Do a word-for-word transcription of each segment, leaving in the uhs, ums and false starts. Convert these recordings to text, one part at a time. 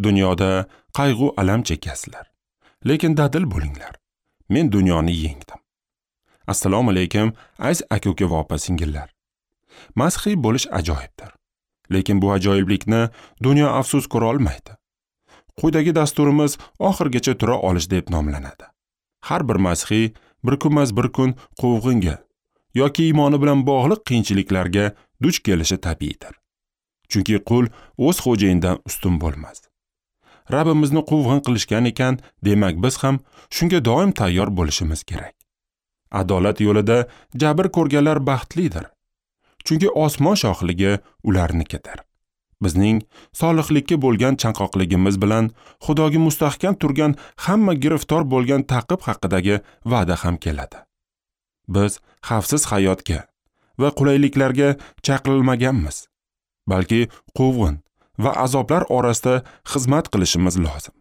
Dunyoda qayg'u alam chekasizlar, lekin dadil bo'linglar. Men dunyoni yengdim. Assalomu alaykum, aziz aka-uka va opa-singillar. Masihiy bo'lish ajoyibdir. Lekin bu ajoyiblikni dunyo afsus ko'ra olmaydi. Quyidagi dasturimiz oxirgacha tura olish deb nomlanadi. Har bir masihiy bir kunmas bir kun quvg'inga yoki iymoni bilan bog'liq qiyinchiliklarga duch kelishi tabiiydir. Chunki qul o'z xo'jayinidan ustun bo'lmas. Rabbimizni quvg'in qilishgan ekan, demak biz ham shunga doim tayyor bo'lishimiz kerak. Adolat yo'lida jabr ko'rganlar baxtlidir. Chunki osmon shohligi ularnikidir. Bizning solihlikka bo'lgan chanqoqligimiz bilan Xudoga mustahkam turgan hamma giriftor bo'lgan ta'qib haqidagi va'da ham keladi. Biz xavfsiz hayotga va qulayliklarga chaqirilmaganmiz, balki quvg'in va azoblar orasida xizmat qilishimiz lozim.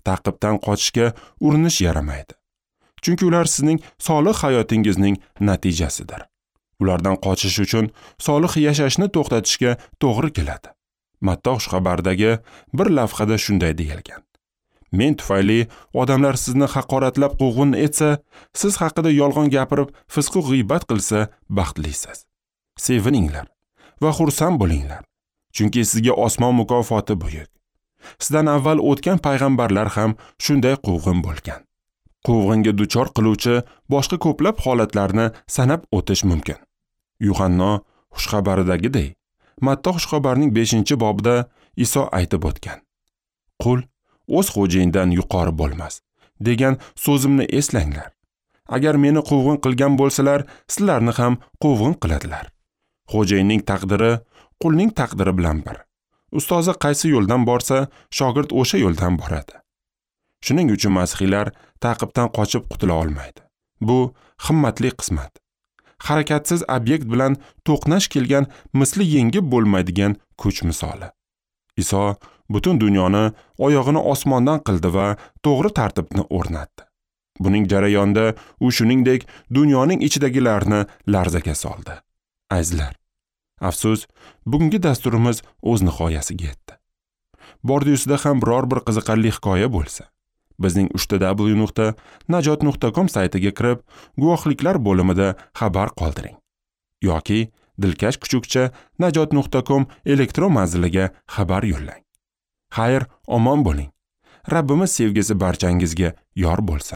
Ta'qibdan qochishga urinish yaramaydi. Chunki ular sizning solih hayotingizning natijasidir. Ulardan qochish uchun solih yashashni to'xtatishga to'g'ri keladi. Matta xushxabardagi bir lavhada shunday deyilgan: Men tufayli odamlar sizni haqoratlab quvg'in etsa, siz haqida yolg'on gapirib, fisq-u g'iybat qilsa, baxtlisiz. Sevininglar va xursand bo'linglar, chunki sizga osmon mukofoti buyuk. Sizdan avval o'tgan payg'ambarlar ham shunday quvg'in bo'lgan. Quvg'inga duchor qiluvchi boshqa ko'plab holatlarni sanab o'tish mumkin. Yuhanno xushxabaridagidek, Matta xushxabarning beshinchi bobida Iso aytib o'tgan: Qul o'z xo'jayinidan yuqori bo'lmas degan so'zimni eslanglar. Agar meni quvg'in qilgan bo'lsalar, sizlarni ham quvg'in qiladilar. Xo'jayinning taqdiri qulning taqdiri bilan bir. Ustozi qaysi yo'ldan borsa, shogird o'sha yo'ldan boradi. Shuning uchun masihiylar ta'qibdan qochib qutula olmaydi. Bu himmatli qismat. Harakatsiz obyekt bilan to'qnash kelgan misli yengib bo'lmaydigan kuch misoli. Iso butun dunyoni oyog'ini osmondan qildi va to'g'ri tartibni o'rnatdi. Buning jarayonida u shuningdek dunyoning ichidagilarni larzaga soldi. Azizlar, afsus, bugungi dasturimiz o'z nihoyasiga yetdi. Bordi-yusida ham biror bir qiziqarli hikoya bo'lsa, bizning uch ta dabl yu nuqta najot nuqta com saytiga kirib, guvohliklar bo'limida xabar qoldiring yoki dilkash kuchukcha najot nuqta com elektron manziliga xabar yo'llang. Xayr, omon bo'ling. Rabbimiz sevgisi barchangizga yor bo'lsin.